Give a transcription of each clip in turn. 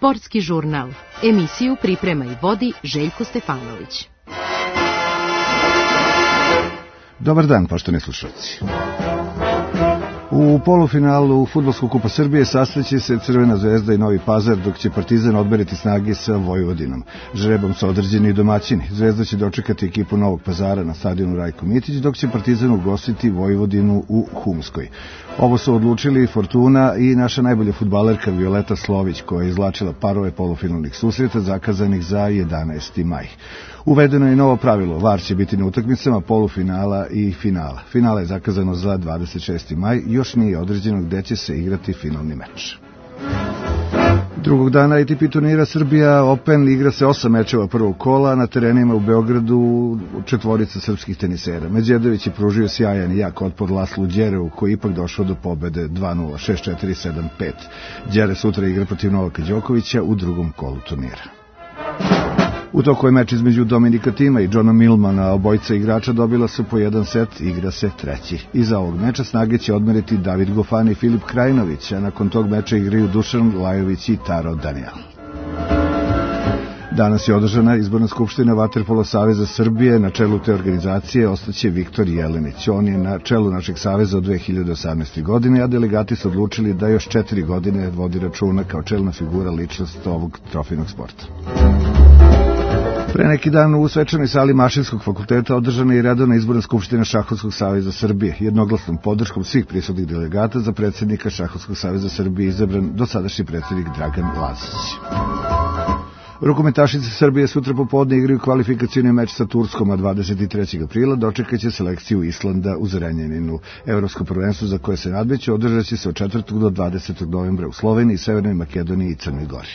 Sportski žurnal. Emisiju priprema i vodi Željko Stefanović. Dobar dan, poštovani slušalci. U polufinalu Fudbalskog kupa Srbije sastaće se Crvena zvezda i Novi Pazar, dok će Partizan odmeriti snage sa Vojvodinom. Žrebom su određeni i domaćini. Zvezda će dočekati ekipu Novog Pazara na stadionu Rajko Mitić, dok će Partizan ugostiti Vojvodinu u Humskoj. Ovo su odlučili Fortuna i naša najbolja fudbalerka Violeta Slović, koja je izvlačila parove polufinalnih susreta zakazanih za 11. maj. Uvedeno je novo pravilo, VAR će biti na utakmicama polufinala i finala. Finale je zakazano za 26. maj, još nije određeno gde će se igrati finalni meč. Drugog dana ATP turnira Srbija Open igra se 8 mečeva prvog kola na terenima u Beogradu četvorica srpskih tenisera. Medjedović je pružio sjajan i jak otpor Laslu Đereu, koji ipak došao do pobede 2-0, 6-4, 7-5. Đere sutra igra protiv Novaka Đokovića u drugom kolu turnira. U toku je meč između Dominika Tima i Johna Millmana, obojica igrača dobila su po jedan set, igra se treći. Iza ovog meča snage će odmeriti David Goffin i Filip Krajinović, a nakon tog meča igraju Dušan Lajović i Taro Daniel. Danas je održana izborna skupština Vaterpolo saveza Srbije. Na čelu te organizacije ostaće Viktor Jelenić. On je na čelu našeg saveza od 2018. godine, a delegati su odlučili da još 4 godine vodi računa kao čelna figura ličnost ovog trofejnog sporta. Pre neki dan u svečanoj sali Mašinskog fakulteta održana je redovna izborna skupština Šahovskog saveza Srbije. Jednoglasnom podrškom svih prisutnih delegata za predsjednika Šahovskog saveza Srbije izabran dosadašnji predsjednik Dragan Lazić. Rukometašice Srbije sutra popodne igraju kvalifikacioni meč sa Turskom, a 23. aprila dočekaće selekciju Islanda u Zrenjaninu. Evropsko prvenstvo za koje se nadmeću održat će se od 4. do 20. novembra u Sloveniji, Severnoj Makedoniji i Crnoj Gori.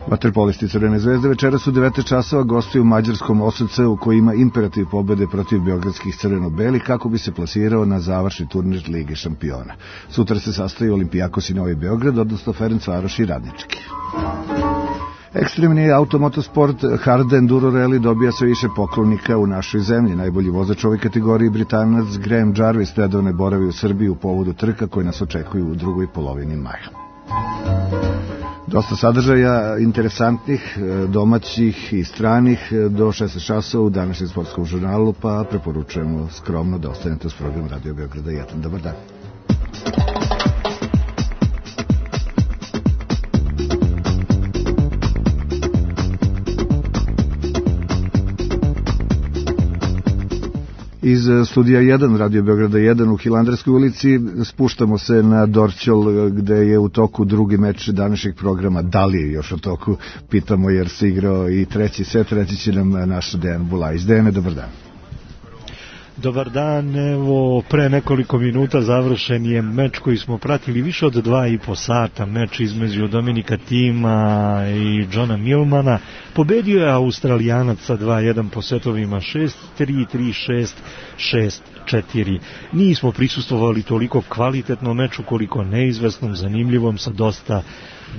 Vaterpolisti Crvene zvezde večeras u 19 časova gostuju u mađarskom OSC-u, koji ima imperativ pobede protiv beogradskih crveno-belih kako bi se plasirao na završni turnir Lige šampiona. Sutra se sastaju Olimpijakos i Novi Beograd, odnosno Ferencvaroš i Radnički. Ekstremni automotosport Hard Enduro Rally dobija sve više poklonika u našoj zemlji. Najbolji vozač u ovoj kategoriji, Britanac Graham Jarvis, nedavno boravi u Srbiji u povodu trka koje nas očekuju u drugoj polovini maja. Dosta sadržaja interesantnih, domaćih i stranih do 16 časova u današnjem sportskom žurnalu, pa preporučujemo skromno da ostanete uz program Radio Beograda 1. Dobar dan. Iz studija 1 Radio Beograda 1 u Hilandarskoj ulici spuštamo se na Dorćol, gde je u toku drugi meč današnjeg programa. Da li je još u toku? Pitamo jer se igrao i treći set. Reći će nam naš Dejan Bulajs. Dejane, dobar dan. Dobar dan, evo pre nekoliko minuta završen je meč koji smo pratili više od 2,5 sata, meč između Dominika Tima i Johna Millmana. Pobedio je Australijanac sa 2-1 po setovima 6-3, 3-6, 6-4. Nismo prisustvovali toliko kvalitetnom meču koliko neizvesnom, zanimljivom, sa dosta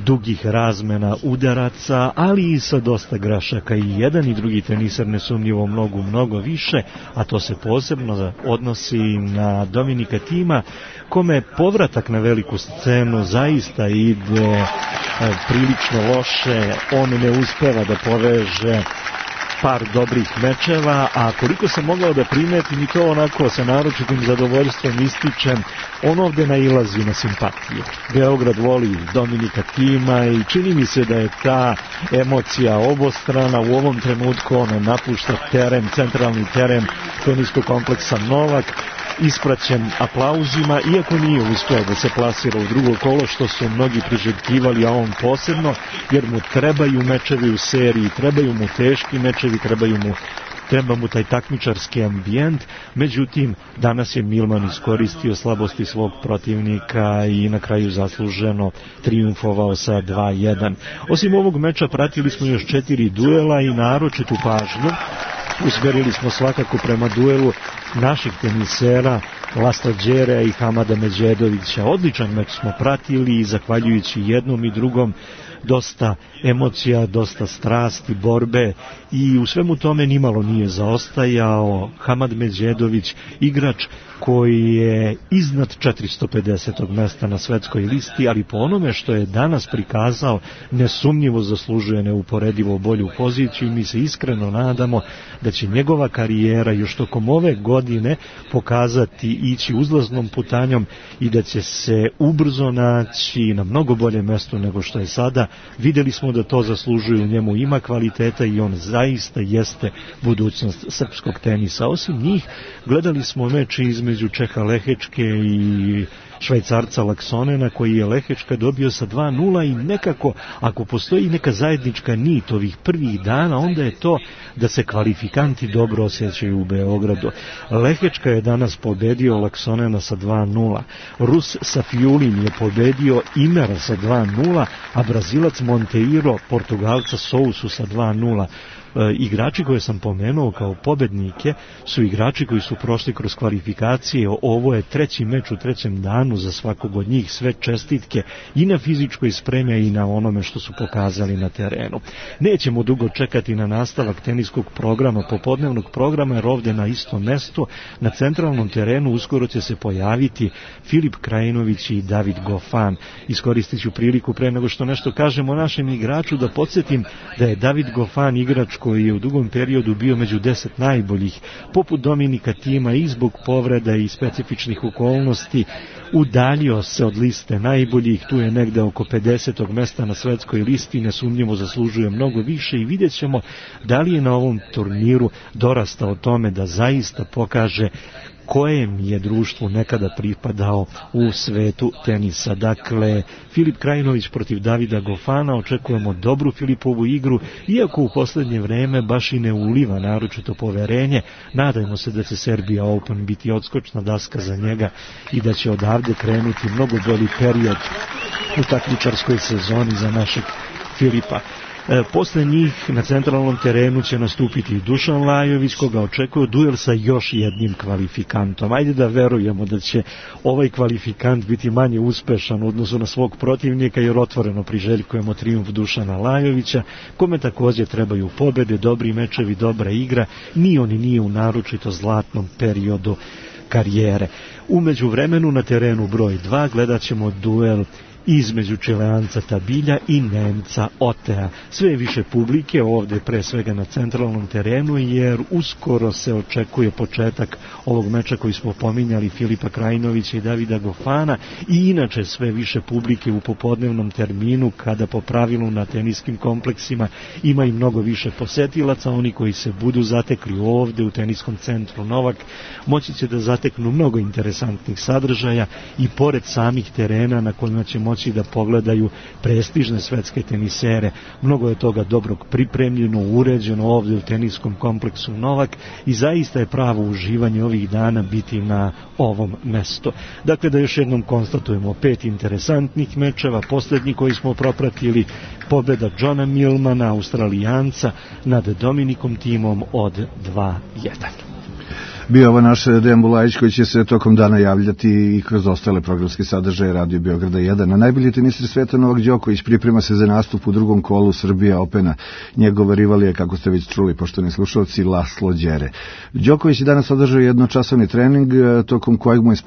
dugih razmena udaraca, ali i sa dosta grašaka. I jedan i drugi teniser nesumnjivo mnogo više, a to se posebno odnosi na Dominika Tima, kome povratak na veliku scenu zaista ide prilično loše. On ne uspeva da poveže par dobrih mečeva, a koliko sam mogao da primetim i to onako sa naročitim zadovoljstvom ističem, on ovde nailazi na simpatiju. Beograd voli Dominika Tima i čini mi se da je ta emocija obostrana. U ovom trenutku on napušta teren, centralni teren teniskog kompleksa Novak, ispraćen aplauzima, iako nije uspeo da se plasira u drugo kolo, što su mnogi priželjkivali, a on posebno, jer mu trebaju mečevi u seriji, trebaju mu teški mečevi, treba mu taj takmičarski ambijent. Međutim, danas je Millman iskoristio slabosti svog protivnika i na kraju zasluženo trijumfovao sa 2-1. Osim ovog meča pratili smo još 4 duela i naročitu pažnju usmerili smo svakako prema duelu naših tenisera Lasla Đerea i Hamada Medjedovića. Odličan meč smo pratili i zahvaljujući jednom i drugom dosta emocija, dosta strasti, borbe i u svemu tome nimalo nije zaostajao Hamad Međedović, igrač koji je iznad 450. mesta na svetskoj listi, ali po onome što je danas prikazao nesumnjivo zaslužuje neuporedivo bolju poziciju i mi se iskreno nadamo da će njegova karijera još tokom ove godine pokazati ići uzlaznom putanjom i da će se ubrzo naći na mnogo bolje mesto nego što je sada. Vidjeli smo da to zaslužuje, u njemu ima kvaliteta i on zaista jeste budućnost srpskog tenisa. Osim njih, gledali smo meč između Čeha Lehečke i Švajcarca Laksonena, koji je Lehečka dobio sa 2:0 i nekako, ako postoji neka zajednička nit ovih prvih dana, onda je to da se kvalifikanti dobro osjećaju u Beogradu. Lehečka je danas pobedio Laksonena sa 2:0, Rus Safiulin je pobedio Imera sa 2:0, a Brazilac Monteiro Portugalca Sousu sa 2:0. Igrači koje sam pomenuo kao pobednike su igrači koji su prošli kroz kvalifikacije. Ovo je treći meč u trećem danu za svakog od njih, sve čestitke i na fizičkoj spremi i na onome što su pokazali na terenu. Nećemo dugo čekati na nastavak teniskog programa, popodnevnog programa, jer ovdje na istom mestu, na centralnom terenu, uskoro će se pojaviti Filip Krajinović i David Goffin. Iskoristit ću priliku pre nego što nešto kažem o našem igraču da podsjetim da je David Goffin igrač koji je u dugom periodu bio među 10 najboljih, poput Dominika Tima i zbog povreda i specifičnih okolnosti, udaljio se od liste najboljih, tu je negde oko 50. mesta na svetskoj listi, nesumnjivo zaslužuje mnogo više i vidjet ćemo da li je na ovom turniru dorastao tome da zaista pokaže kojem je društvu nekada pripadao u svetu tenisa. Dakle, Filip Krajinović protiv Davida Goffina, očekujemo dobru Filipovu igru, iako u posljednje vreme baš i ne uliva naročito poverenje. Nadajmo se da će Serbia Open biti odskočna daska za njega i da će odavde krenuti mnogo bolji period u takmičarskoj sezoni za našeg Filipa. Posle njih na centralnom terenu će nastupiti Dušan Lajović, koga očekuje duel sa još jednim kvalifikantom. Ajde da verujemo da će ovaj kvalifikant biti manje uspešan u odnosu na svog protivnika, jer otvoreno priželjkujemo trijumf Dušana Lajovića, kome također trebaju pobede, dobri mečevi, dobra igra. Ni on nije u naročito zlatnom periodu karijere. U međuvremenu na terenu broj 2 gledat ćemo duel između Čileanca Tabilja i Nemca Otea. Sve više publike ovdje, pre svega na centralnom terenu, jer uskoro se očekuje početak ovog meča koji smo pominjali, Filipa Krajinovića i Davida Goffina, i inače sve više publike u popodnevnom terminu, kada po pravilu na teniskim kompleksima ima i mnogo više posetilaca. Oni koji se budu zatekli ovdje u teniskom centru Novak moći će da zateknu mnogo interesantnih sadržaja i pored samih terena na kojima će moći da pogledaju prestižne svetske tenisere. Mnogo je toga dobrog pripremljeno, uređeno ovdje u teniskom kompleksu Novak i zaista je pravo uživanje ovih dana biti na ovom mestu. Dakle, da još jednom konstatujemo 5 interesantnih mečeva, posljednji koji smo propratili, pobjeda Johna Millmana, Australijanca, nad Dominikom Timom od 2:1. Bio ovo naš Dejan Bulajić, koji će se tokom dana javljati i kroz ostale programske sadržaje Radio Beograda 1. Na najbolji teniser sveta Novak Đoković priprema se za nastup u drugom kolu Srbija Opena. Njegov rival je, kako ste već čuli, poštovani slušalci, Laslo Đere. Đoković je danas održao jednočasovni trening, tokom kojeg mu je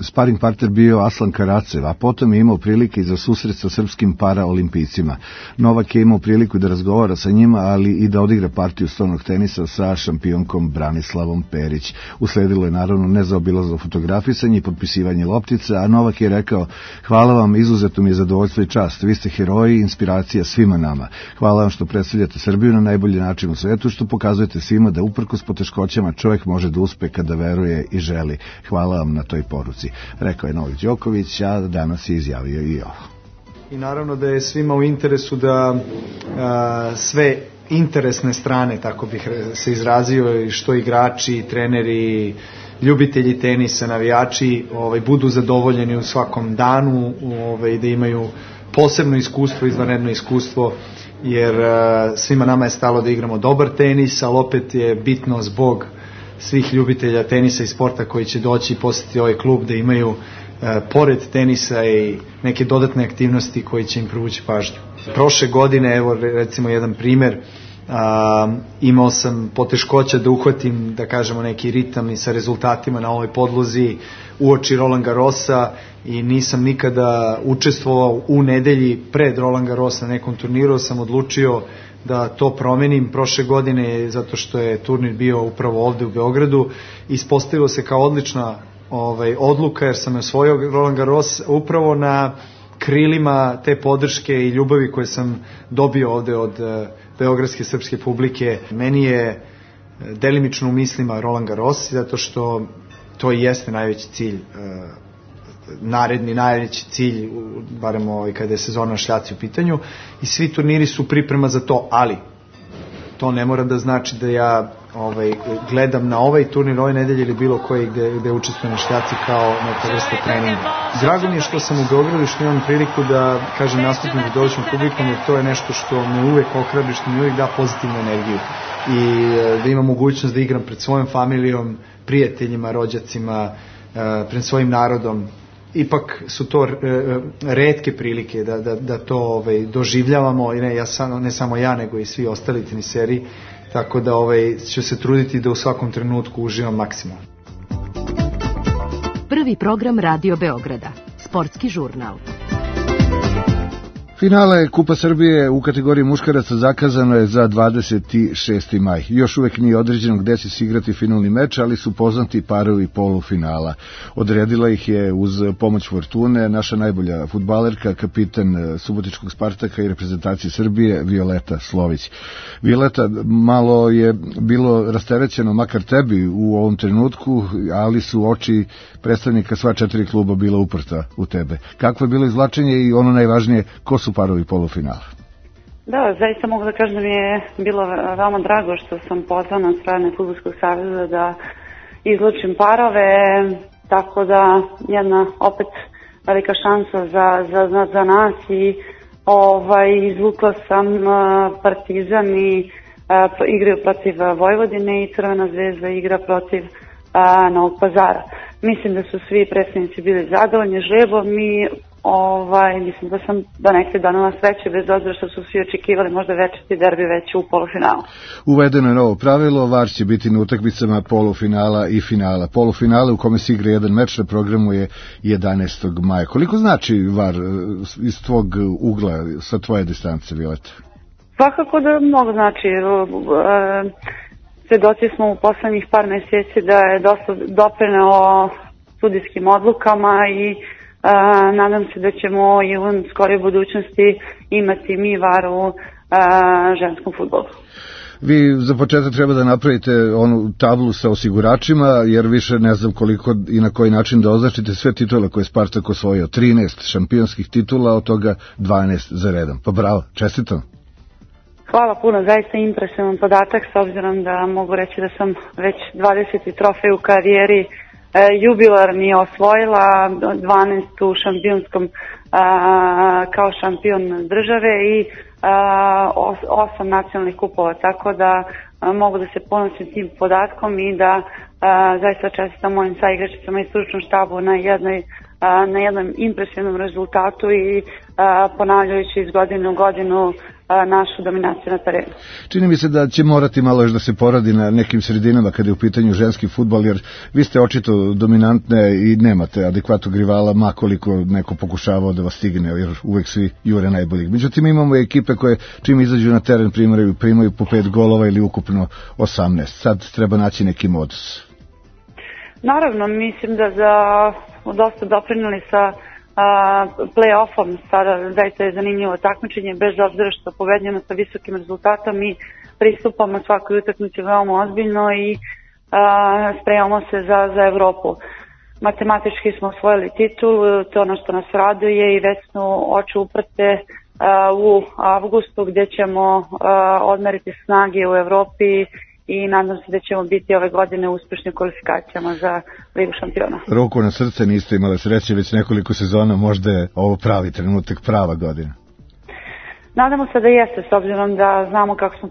sparing partner bio Aslan Karacev, a potom je imao prilike i za susret sa srpskim paraolimpijcima. Novak je imao priliku da razgovara sa njima, ali i da odigra partiju stolnog tenisa sa šampionkom Branislavom Perić. Usledilo je naravno nezaobilazno fotografisanje i potpisivanje loptica, a Novak je rekao: hvala vam, izuzetno mi je zadovoljstvo i čast, vi ste heroji i inspiracija svima nama. Hvala vam što predstavljate Srbiju na najbolji način u svetu, što pokazujete svima da uprkos poteškoćama čovjek može da uspe kada veruje i želi. Hvala vam na toj poruci, rekao je Novak Đoković, a danas je izjavio i ovo. I naravno da je svima u interesu da sve interesne strane, tako bih se izrazio, što igrači, treneri, ljubitelji tenisa, navijači, budu zadovoljeni u svakom danu, da imaju posebno iskustvo, izvanredno iskustvo, jer svima nama je stalo da igramo dobar tenis, ali opet je bitno zbog svih ljubitelja tenisa i sporta koji će doći i posjetiti ovaj klub, da imaju pored tenisa i neke dodatne aktivnosti koji će im privući pažnju. Prošle godine, evo recimo jedan primer, imao sam poteškoća da uhvatim, da kažemo, neki ritam i sa rezultatima na ovoj podlozi uoči Roland Garrosa i nisam nikada učestvovao u nedelji pred Roland Garros na nekom turniru. Sam odlučio da to promenim prošle godine zato što je turnir bio upravo ovde u Beogradu. Ispostavilo se kao odlična odluka jer sam osvojio Roland Garros upravo na krilima te podrške i ljubavi koje sam dobio ovde od beogradske srpske publike. Meni je delimično u mislima Roland Garros zato što to i jeste najveći cilj, najveći cilj, barem kada je sezona šljaci u pitanju, i svi turniri su priprema za to, ali to ne mora da znači da ja gledam na ovaj turnir ove nedelje ili bilo koji gde učestvujem na šljaci kao neka vrsta treninga. Drago mi je što sam u Beogradu i što imam priliku da kažem nastupim pred domaćom publikom, jer to je nešto što me uvek ohrabri, što mi uvek da pozitivnu energiju i da imam mogućnost da igram pred svojom familijom, prijateljima, rođacima, pred svojim narodom. Ipak su to retke prilike da to doživljavamo, i ne samo ja, nego i svi ostali teniseri, tako da ću se truditi da u svakom trenutku uživam maksimalno. Prvi program Radio Beograda, sportski žurnal. Finale Kupa Srbije u kategoriji muškaraca zakazano je za 26. maj. Još uvek nije određeno gde će se igrati finalni meč, ali su poznati parovi polufinala. Odredila ih je uz pomoć Fortune naša najbolja fudbalerka, kapitan subotičkog Spartaka i reprezentacije Srbije, Violeta Slović. Violeta, malo je bilo rasterećeno, makar tebi u ovom trenutku, ali su oči predstavnika sva 4 kluba bila uprta u tebe. Kakvo je bilo izvlačenje i ono najvažnije, ko su parovi polufinala? Da, zaista mogu da kažem da mi je bilo veoma drago što sam pozvana od strane Fudbalskog saveza da izlučim parove, tako da jedna opet velika šansa za nas i izvukla sam Partizan i igraju protiv Vojvodine i Crvena zvezda igra protiv Novog Pazara. Mislim da su svi predstavnici bili zadovoljni žrebom i mislim da sam donekle donela sreće, bez obzira što su svi očekivali možda večiti derbi već u polufinalu. Uvedeno je novo pravilo, VAR će biti na utakmicama polufinala i finala. Polufinale u kome se igra jedan meč na programu je 11. maja. Koliko znači VAR iz tvog ugla, sa tvoje distance, Violeta? Svakako da mnogo znači. Svedoci smo u poslednjih par meseci da je dosta doprineo sudijskim odlukama i nadam se da ćemo i u skoroj budućnosti imati mi VAR u ženskom fudbalu. Vi za početak treba da napravite onu tablu sa osiguračima, jer više ne znam koliko i na koji način da označite sve titule koje je Spartak osvojio. 13 šampionskih titula, od toga 12 za redom. Pa bravo, čestitam. Hvala puno, zaista impresivan podatak, s obzirom da mogu reći da sam već 20. trofej u karijeri jubilarni osvojila, 12 u šampionskom kao šampion države i 8 nacionalnih kupova, tako da mogu da se ponosim tim podatkom i da zaista čestitam mojim saigračicama i stručnom štabu na jednom impresivnom rezultatu i ponavljajući iz godine u godinu našu dominaciju na terenu. Čini mi se da će morati malo još da se poradi na nekim sredinama kada je u pitanju ženski fudbal, jer vi ste očito dominantne i nemate adekvatnog rivala, makoliko neko pokušavao da vas stigne, jer uvek svi jure najboljih. Međutim, imamo ekipe koje čim izađu na teren primaju po 5 golova ili ukupno 18. Sad treba naći neki modus. Naravno, mislim da dosta doprineli sa play-offom, sada zaista je zanimljivo takmičenje, bez obzira što pobedljamo sa visokim rezultatom i pristupamo svakoj utakmici veoma ozbiljno i spremamo se za Evropu. Matematički smo osvojili titulu, to je ono što nas raduje i već smo oči uprte u avgustu gdje ćemo odmeriti snage u Evropi i nadam se da ćemo biti ove godine uspešni u kvalifikacijama za Ligu šampiona. Ruku na srce, niste imali sreće već nekoliko sezona, možda je ovo pravi trenutak, prava godina. Nadamo se da jeste, s obzirom da znamo kako smo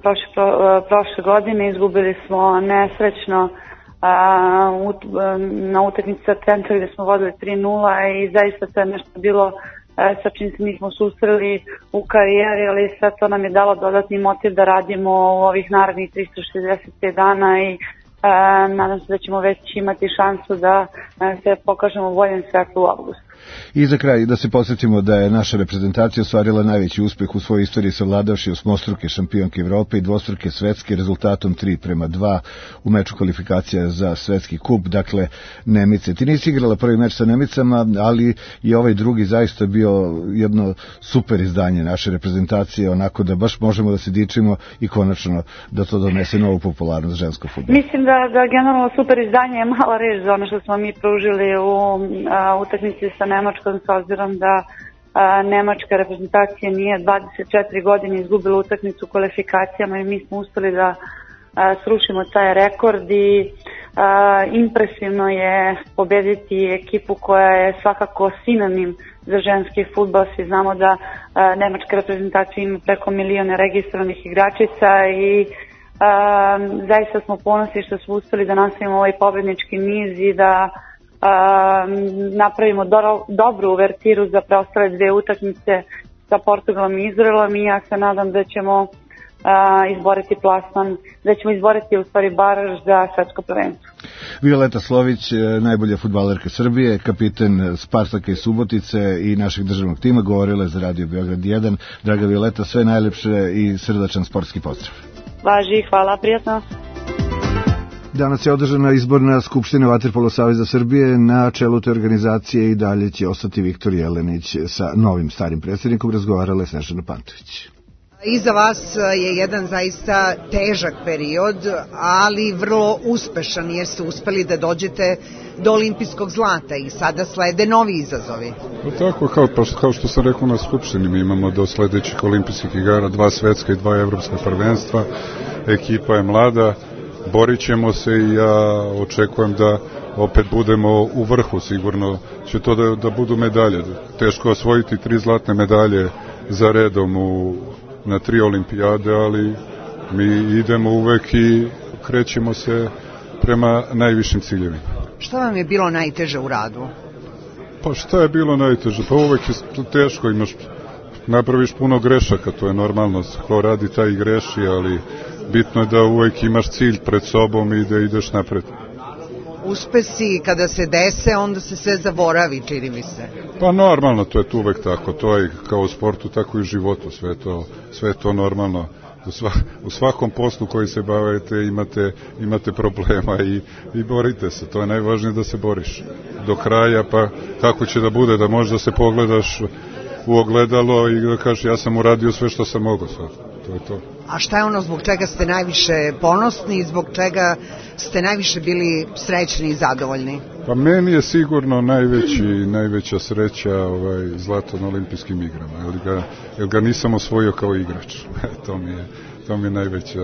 prošle godine, izgubili smo nesrećno na utakmici sa Centrom gdje smo vodili 3-0 i zaista to je nešto bilo sa čim se nismo susreli u karijeri, ali sve to nam je dalo dodatni motiv da radimo u ovih narednih 365 dana i nadam se da ćemo već imati šansu da se pokažemo u boljem svetlu u avgustu. I za kraj da se podsjetimo da je naša reprezentacija ostvarila najveći uspeh u svojoj istoriji savladavši osmostruke šampionke Evrope i dvostruke svetske rezultatom 3:2 u meču kvalifikacija za svetski kup, dakle Nemice. Ti nisi igrala prvi meč sa Nemicama, ali i ovaj drugi zaista bio jedno super izdanje naše reprezentacije, onako da baš možemo da se dičimo i konačno da to donese novu popularnost ženskog fudbala. Mislim da generalno super izdanje je mala reč za ono što smo mi pružili u utakmici sa Nemačkom, s obzirom da nemačka reprezentacija nije 24 godine izgubila utakmicu u kvalifikacijama i mi smo uspeli da srušimo taj rekord i impresivno je pobediti ekipu koja je svakako sinonim za ženski fudbal. Svi znamo da nemačka reprezentacija ima preko 1 milion registrovanih igračica i zaista smo ponosni što smo uspeli da nastavimo ovaj pobednički niz i da napravimo dobru uvertiru za preostale dve utakmice sa Portugalom i Izraelom i ja se nadam da ćemo izboriti plasman, da ćemo izboriti u stvari baraž za svetsko prvenstvo. Violeta Slović, najbolja fudbalerka Srbije, kapiten Spartaka iz Subotice i našeg državnog tima, govorila je za Radio Beograd 1. Draga Violeta, sve najlepše i srdačan sportski pozdrav. Važi, hvala, prijatno. Danas je održana izborna skupština Vaterpolo saveza Srbije. Na čelu te organizacije i dalje će ostati Viktor Jelenić. Sa novim starim predsjednikom razgovarala je Snežana Pantović. Iza vas je jedan zaista težak period, ali vrlo uspešan jer ste uspeli da dođete do olimpijskog zlata i sada slede novi izazovi. Tako, kao što sam rekao na skupštini, mi imamo do sledećih olimpijskih igara 2 svetska i 2 evropska prvenstva. Ekipa je mlada, borit ćemo se i ja očekujem da opet budemo u vrhu, sigurno će to da budu medalje. Teško osvojiti 3 zlatne medalje za redom na 3 olimpijade, ali mi idemo uvek i krećemo se prema najvišim ciljevima. Šta vam je bilo najteže u radu? Pa šta je bilo najteže? Pa uvek je teško, napraviš puno grešaka, to je normalno, ko radi taj i greši, ali bitno je da uvek imaš cilj pred sobom i da ideš napred. Uspesi kada se dese, onda se sve zaboravi, čini mi se. Pa normalno, to je tu uvek tako, to je kao u sportu, tako i u životu, sve to normalno. U svakom poslu koji se bavite imate problema i borite se, to je najvažnije da se boriš do kraja, pa kako će da bude, da možda se pogledaš u ogledalo i da kažeš ja sam uradio sve što sam mogao sad, to je to. A šta je ono zbog čega ste najviše ponosni i zbog čega ste najviše bili srećni i zadovoljni? Pa meni je sigurno najveća sreća zlato na olimpijskim igrama, jer ga nisam osvojio kao igrač. To mi je najveća,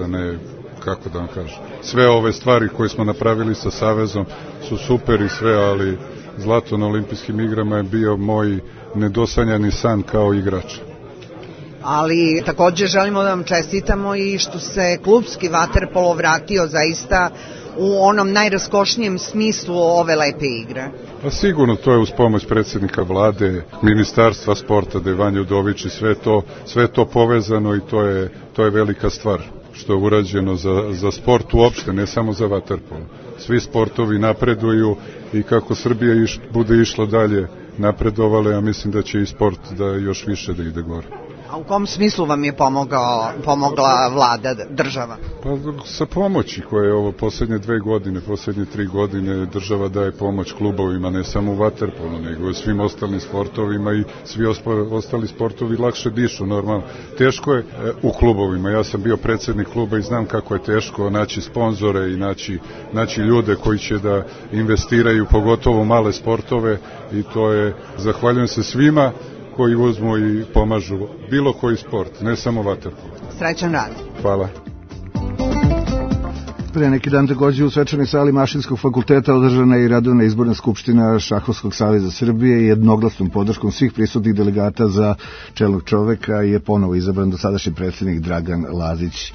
kako da vam kažem. Sve ove stvari koje smo napravili sa Savezom su super i sve, ali zlato na olimpijskim igrama je bio moj nedosanjani san kao igrač. Ali takođe želimo da vam čestitamo i što se klubski vaterpolo vratio zaista u onom najraskošnijem smislu ove lepe igre. Pa sigurno to je uz pomoć predsjednika vlade, ministarstva sporta, Vanja Udović i sve to povezano i to je velika stvar što je urađeno za sport uopšte, ne samo za vaterpolo. Svi sportovi napreduju i kako Srbija bude išla dalje napredovale, ja mislim da će i sport da još više da ide gore. A u kom smislu vam je pomogla vlada, država? Pa sa pomoći koje je ovo poslednje 3 godine država daje pomoć klubovima, ne samo u vaterpolu, nego i svim ostalim sportovima i svi ostali sportovi lakše dišu, normalno. Teško je u klubovima, ja sam bio predsjednik kluba i znam kako je teško naći sponzore i naći ljude koji će da investiraju, pogotovo male sportove i to je, zahvaljujem se svima koji uzmu i pomažu bilo koji sport, ne samo vaterpolo. Srećan rad. Hvala. Pre neki dan takođe u svečanoj sali Mašinskog fakulteta održana je i redovna izborna skupština Šahovskog saveza Srbije i jednoglasnom podrškom svih prisutnih delegata za čelnog čoveka je ponovo izabran dosadašnji predsjednik Dragan Lazić.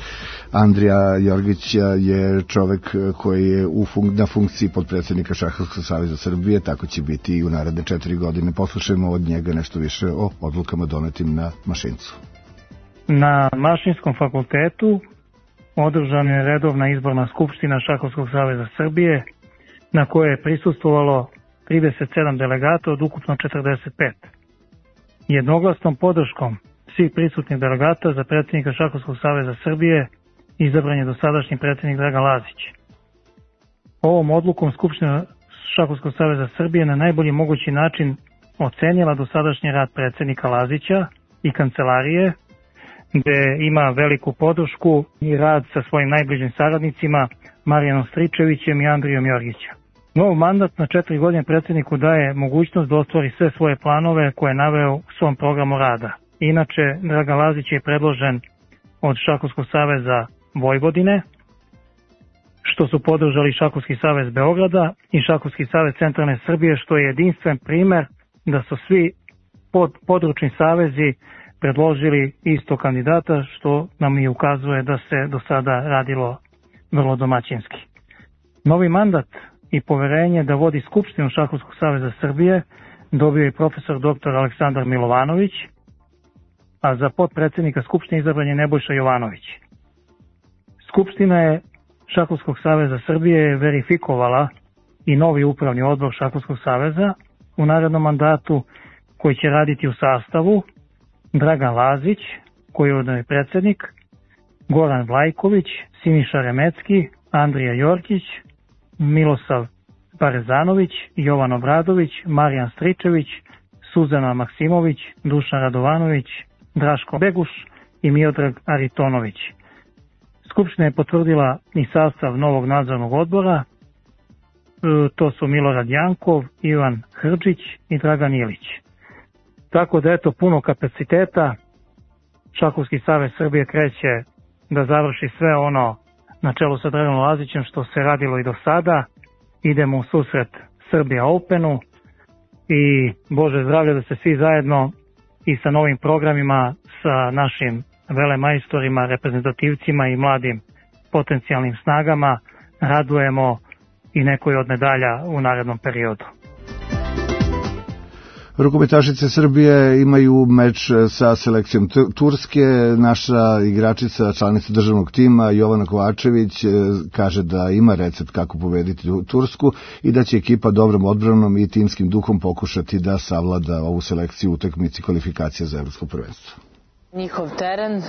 Andrija Jorgić je čovek koji je na funkciji podpredsjednika Šahovskog saveza Srbije, tako će biti i u naredne 4 godine. Poslušajmo od njega nešto više o odlukama donetim na Mašincu. Na Mašinskom fakultetu održana je redovna izborna skupština Šahovskog saveza Srbije, na kojoj je prisustvovalo 37 delegata od ukupno 45. Jednoglasnom podrškom svih prisutnih delegata za predsjednika Šahovskog saveza Srbije izabran je dosadašnji predsjednik Dragan Lazić. Ovom odlukom Skupština Šahovskog saveza Srbije na najbolji mogući način ocenila dosadašnji rad predsjednika Lazića i kancelarije, gde ima veliku podršku i rad sa svojim najbližim saradnicima Marijanom Stričevićem i Andrijom Jorgićem. Nov mandat na 4 godine predsjedniku daje mogućnost da ostvari sve svoje planove koje je naveo u svom programu rada. Inače, Dragan Lazić je predložen od Šahovskog saveza Vojvodine, što su podržali Šahovski savez Beograda i Šahovski savez Centralne Srbije, što je jedinstven primer da su svi područni savezi predložili isto kandidata, što nam i ukazuje da se do sada radilo vrlo domaćinski. Novi mandat i poverenje da vodi Skupštinu Šahovskog saveza Srbije dobio je profesor dr. Aleksandar Milovanović, a za potpredsjednika Skupštine izabran je Nebojša Jovanović. Skupština je Šahovskog saveza Srbije verifikovala i novi upravni odbor Šahovskog saveza u narednom mandatu, koji će raditi u sastavu Dragan Lazić, koji je ujedno predsjednik, Goran Vlajković, Siniša Remecki, Andrija Jorkić, Milosav Parezanović, Jovan Obradović, Marijan Stričević, Suzana Maksimović, Dušan Radovanović, Draško Beguš i Miodrag Aritonović. Skupština je potvrdila i sastav novog nadzornog odbora, to su Milorad Jankov, Ivan Hrđić i Dragan Ilić. Tako da eto, puno kapaciteta, Šahovski savez Srbije kreće da završi sve ono na čelu sa Draganom Lazićem što se radilo i do sada. Idemo u susret Srbija Openu i Bože zdravlje da se svi zajedno i sa novim programima, sa našim velemajstorima, reprezentativcima i mladim potencijalnim snagama radujemo i nekoj od medalja u narednom periodu. Rukometašice Srbije imaju meč sa selekcijom Turske. Naša igračica, članica državnog tima Jovana Kovačević kaže da ima recept kako pobediti Tursku i da će ekipa dobrom odbranom i timskim duhom pokušati da savlada ovu selekciju u utakmici kvalifikacija za evropsko prvenstvo. Njihov teren,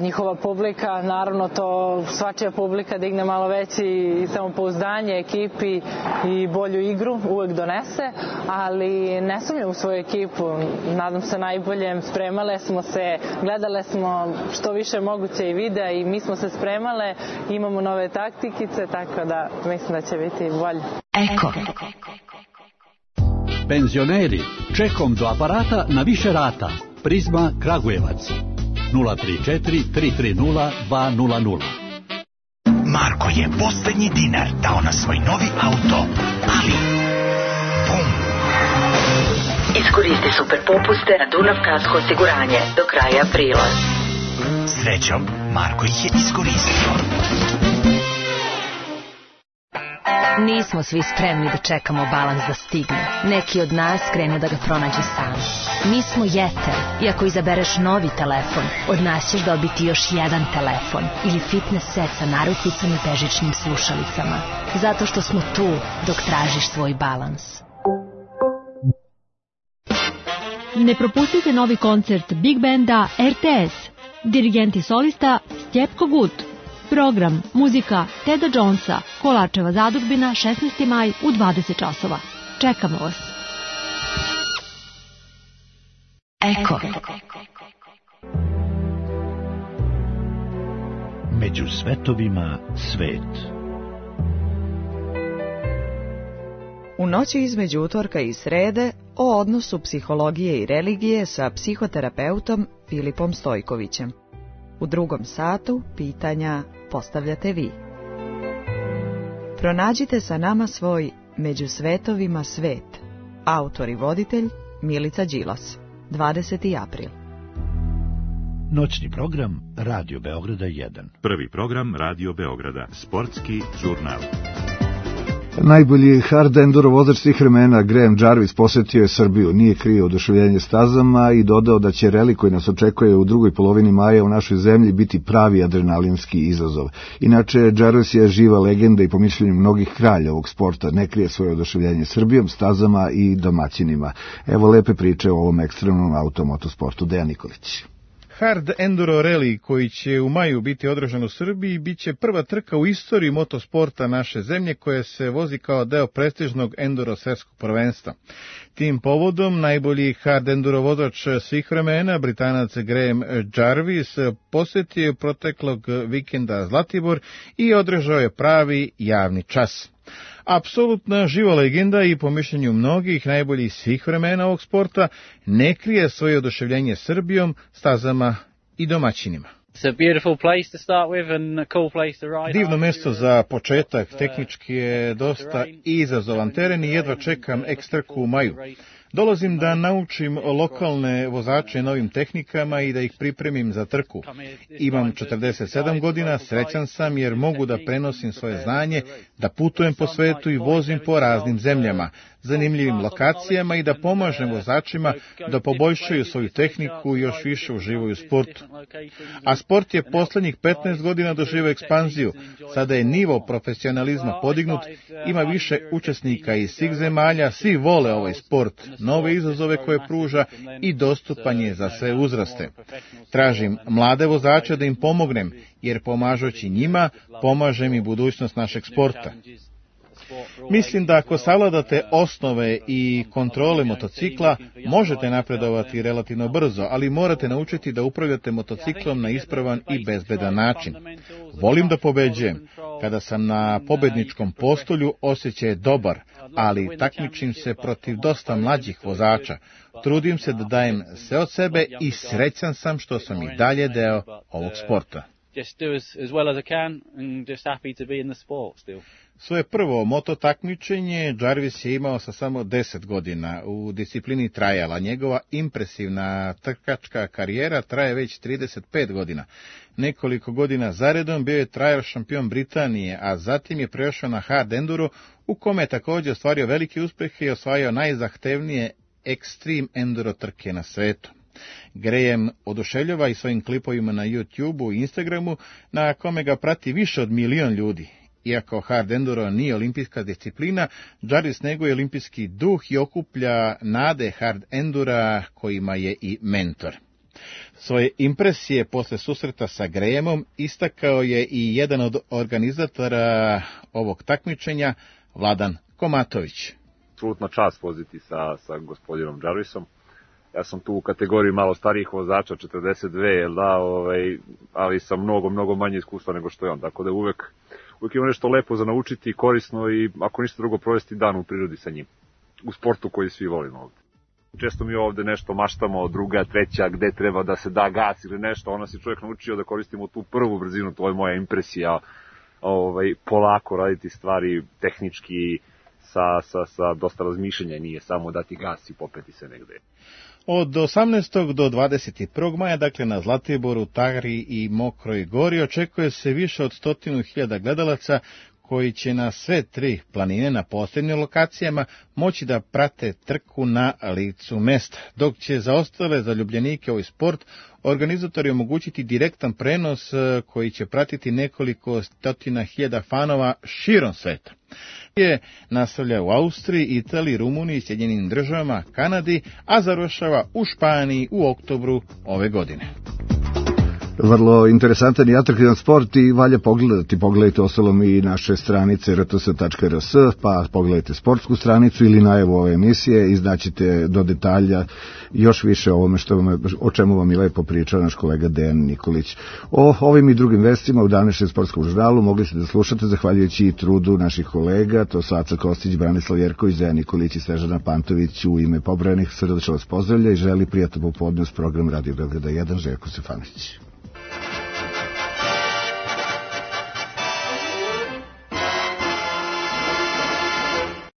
njihova publika, naravno to svačija publika digne malo veći samopouzdanje ekipi i bolju igru uvek donese, ali ne sumnjam u svoju ekipu, nadam se najboljem, spremale smo se, gledale smo što više moguće i videa i mi smo se spremale, imamo nove taktikice, tako da mislim da će biti bolje. Eko. Penzioneri, čekom do aparata na više rata. Prizma Kragujevac 034 330 200. Marko je poslednji dinar dao na svoj novi auto, ali bum! Iskoristi super popuste na Dunav Kasko osiguranje do kraja aprila. Srećom, Marko ih je iskoristio. Nismo svi spremni da čekamo balans da stigne. Neki od nas krenu da ga pronađu sami. Mi smo Jeter i ako izabereš novi telefon, od nas ćeš dobiti još jedan telefon ili fitness set sa narukvicom i bežičnim slušalicama. Zato što smo tu dok tražiš svoj balans. Ne propustite novi koncert Big Banda RTS. Dirigent i solista Stjepko Gut. Program, muzika Teda Jonesa, Kolačeva zadužbina, 16. maj u 20 časova. Čekamo vas. Eko. Među svetovima svet. U noći između utorka i srede o odnosu psihologije i religije sa psihoterapeutom Filipom Stojkovićem. U drugom satu pitanja postavljate vi. Pronađite sa nama svoj Među svetovima svet. Autor i voditelj Milica Đilas. 20. april. Noćni program Radio Beograda 1. Prvi program Radio Beograda. Sportski žurnal. Najbolji hard enduro vozač svih vremena Graham Jarvis posjetio je Srbiju, nije krio oduševljenje stazama i dodao da će reli koji nas očekuje u drugoj polovini maja u našoj zemlji biti pravi adrenalinski izazov. Inače, Jarvis je živa legenda i po mišljenju mnogih kralja ovog sporta ne krije svoje oduševljenje Srbijom, stazama i domaćinima. Evo lepe priče o ovom ekstremnom automotosportu. Dejan Nikolić. Hard Enduro Rally, koji će u maju biti održan u Srbiji, bit će prva trka u istoriji motosporta naše zemlje koja se vozi kao deo prestižnog enduro svetskog prvenstva. Tim povodom najbolji hard enduro vozač svih vremena, Britanac Graham Jarvis, posjetio je proteklog vikenda Zlatibor i održao je pravi javni čas. Apsolutna živa legenda i po mišljenju mnogih najboljih svih vremena ovog sporta ne krije svoje oduševljenje Srbijom, stazama i domaćinima. Divno mjesto za početak, tehnički je dosta izazovan teren i jedva čekam ekstrku u maju. Dolazim da naučim lokalne vozače novim tehnikama i da ih pripremim za trku. Imam 47 godina, srećan sam jer mogu da prenosim svoje znanje, da putujem po svetu i vozim po raznim zemljama, zanimljivim lokacijama i da pomažem vozačima da poboljšaju svoju tehniku i još više uživaju u sportu. A sport je posljednjih 15 godina doživio ekspanziju. Sada je nivo profesionalizma podignut, ima više učesnika iz svih zemalja, svi vole ovaj sport, nove izazove koje pruža i dostupan je za sve uzraste. Tražim mlade vozače da im pomognem, jer pomažući njima, pomažem i budućnost našeg sporta. Mislim da ako savladate osnove i kontrole motocikla, možete napredovati relativno brzo, ali morate naučiti da upravljate motociklom na ispravan i bezbedan način. Volim da pobeđujem. Kada sam na pobedničkom postolju, osjećaj je dobar, ali takmičim se protiv dosta mlađih vozača. Trudim se da dajem sve od sebe i srećan sam što sam i dalje deo ovog sporta. Svoje prvo moto takmičenje Jarvis je imao sa samo 10 godina u disciplini trajala. Njegova impresivna trkačka karijera traje već 35 godina. Nekoliko godina zaredom bio je trial šampion Britanije, a zatim je prešao na hard enduro, u kome je također ostvario velike uspjehe i osvajao najzahtevnije extreme enduro trke na svetu. Graham oduševljava i svojim klipovima na YouTubeu i Instagramu, na kome ga prati više od 1 milion ljudi. Iako hard enduro nije olimpijska disciplina, Jarvis neguje olimpijski duh i okuplja nade hard endura kojima je i mentor. Svoje impresije posle susreta sa Grahamom istakao je i jedan od organizatora ovog takmičenja, Vladan Komatović. Apsolutna čast voziti sa gospodinom Jarvisom. Ja sam tu u kategoriji malo starijih vozača, 42, ali sam mnogo manje iskustva nego što je on, tako da uvek ima nešto lepo za naučiti i korisno i ako ništa drugo provesti dan u prirodi sa njim. U sportu koji svi volimo ovde. Često mi ovde nešto maštamo, druga, treća, gde treba da se da gas ili nešto, onda si čovjek naučio da koristimo tu prvu brzinu, to je moja impresija, polako raditi stvari tehnički sa dosta razmišljanja, nije samo dati gas i popeti se negde. Od 18. do 21. maja, dakle na Zlatiboru, Tari i Mokroj Gori, očekuje se više od 100.000 gledalaca koji će na sve 3 planine na posljednjim lokacijama moći da prate trku na licu mesta, dok će za ostale zaljubljenike ovaj sport organizatori omogućiti direktan prenos koji će pratiti nekoliko stotina hiljada fanova širom sveta. Je nastavlja u Austriji, Italiji, Rumuniji, Sjedinjenim Državama, Kanadi, a završava u Španiji u oktobru ove godine. Vrlo interesantan i atraktivan sport i valja pogledati. Pogledajte ostalom i naše stranice rts.rs, pa pogledajte sportsku stranicu ili najavu ove emisije i znaćete do detalja još više o ovome o čemu vam je lepo pričao naš kolega Dejan Nikolić. O ovim i drugim vestima u današnjem sportskom žurnalu mogli ste da slušate zahvaljujući i trudu naših kolega, to su Aca Kostić, Branislav Jerković, Dejan Nikolić i Snežana Pantović. U ime pobrojanih srdačno vas pozdravlja i želi prijatno popodne uz program Radio Beograda 1 Željko Stefanović.